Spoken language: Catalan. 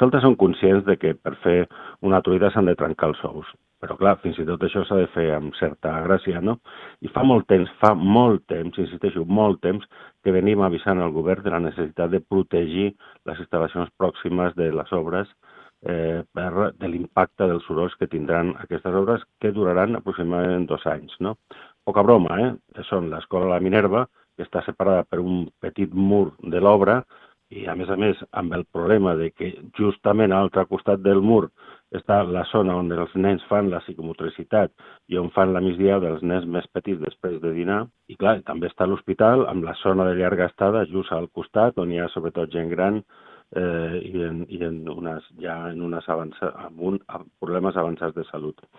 Nosaltres som conscients de que per fer una truita s'han de trencar els ous, però clar, fins i tot això s'ha de fer amb certa gràcia, no? I fa molt temps, insisteixo, molt temps, que venim avisant al govern de la necessitat de protegir les instal·lacions pròximes de les obres de l'impacte dels sorolls que tindran aquestes obres, que duraran aproximadament 2 anys, no? Poca broma, Són l'escola La Minerva, que està separada per un petit mur de l'obra, i a més, amb el problema de que justament a l'altre costat del mur està la zona on els nens fan la psicomotricitat i on fan la migdiada dels nens més petits després de dinar. I clar, també està l'hospital amb la zona de llarga estada just al costat, on hi ha sobretot gent gran amb problemes avançats de salut.